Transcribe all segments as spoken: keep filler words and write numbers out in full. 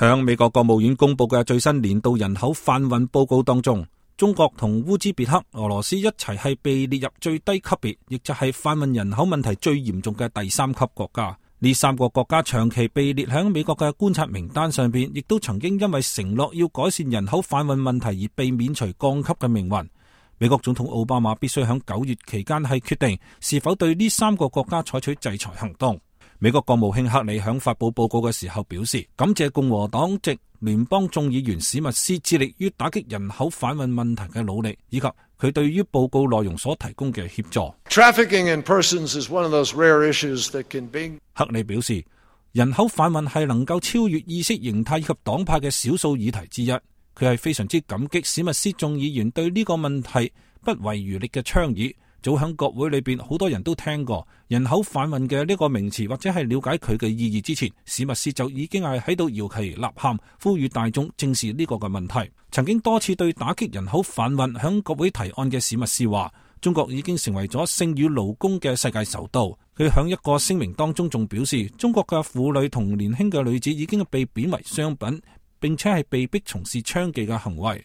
響美國國務院公布嘅最新年度人口販運報告當中，中國同烏茲別克、俄羅斯一齊係被列入最低級別，亦就係販運人口問題最嚴重嘅第三級國家。呢三個國家長期被列響美國嘅觀察名單上邊，亦都曾經因為承諾要改善人口販運問題而被免除降級嘅命運。美國總統奧巴馬必須響九月期間係決定是否對呢三個國家採取制裁行動。美國國務卿克里響發布報告嘅時候表示，感謝共和黨籍聯邦眾議員史密斯致力於打擊人口販運問題嘅努力，以及佢對於報告內容所提供嘅協助。Trafficking in persons is one of those rare issues that can be... 克里表示，人口販運係能夠超越意識形態以及黨派嘅少數議題之一。佢係非常之感激史密斯眾議員對呢個問題不遺餘力嘅倡議。早響國會裏邊，好多人都聽過人口販運嘅呢個名詞，或者係了解佢嘅意義之前，史密斯就已經係喺度搖旗吶喊，呼籲大眾正視呢個嘅問題。曾經多次對打擊人口販運響國會提案嘅史密斯話，中國已經成為咗性與勞工嘅世界首都。佢響一個聲明當中仲表示，中國嘅婦女同年輕嘅女子已經被貶為商品，並且係被迫從事娼妓嘅行為。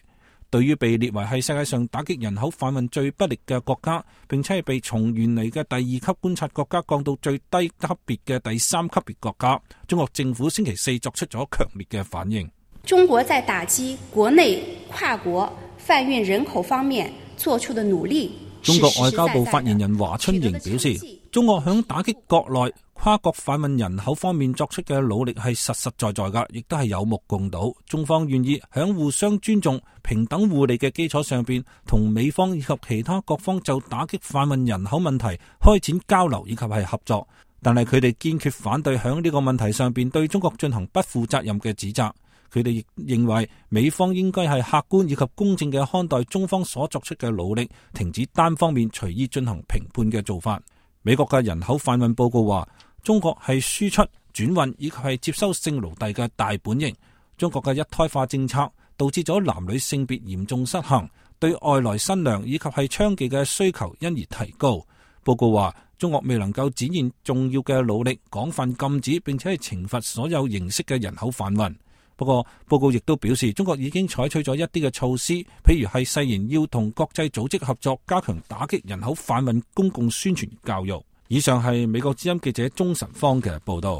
對於被列為係世界上打擊人口販運最不力嘅國家，並且係被從原嚟嘅第二級觀察國家降到最低級別嘅第三級別國家，中國政府星期四作出咗強烈嘅反應。中國在打擊國內跨國販運人口方面做出的努力。中國外交部發言人華春瑩表示，中國響打擊國內跨國販運人口方面作出嘅努力係實實在在㗎，亦都係有目共睹。中方願意響互相尊重、平等互利嘅基礎上邊，同美方以及其他各方就打擊販運人口問題開展交流以及係合作。但係佢哋堅決反對響呢個問題上邊對中國進行不負責任嘅指責。佢哋亦認為美方應該係客觀以及公正嘅看待中方所作出嘅努力，停止單方面隨意進行評判嘅做法。美國嘅人口販運報告話，中國係輸出、轉運以及係接收性奴隸嘅大本營。中國嘅一胎化政策導致咗男女性別嚴重失衡，對外來新娘以及係娼妓嘅需求因而提高。報告話，中國未能夠展現重要嘅努力，廣泛禁止並且係懲罰所有形式嘅人口販運。不過，報告亦都表示，中國已經採取咗一啲嘅措施，譬如係誓言要同國際組織合作，加強打擊人口販運公共宣傳教育。以上係美國之音記者鍾晨芳嘅報道。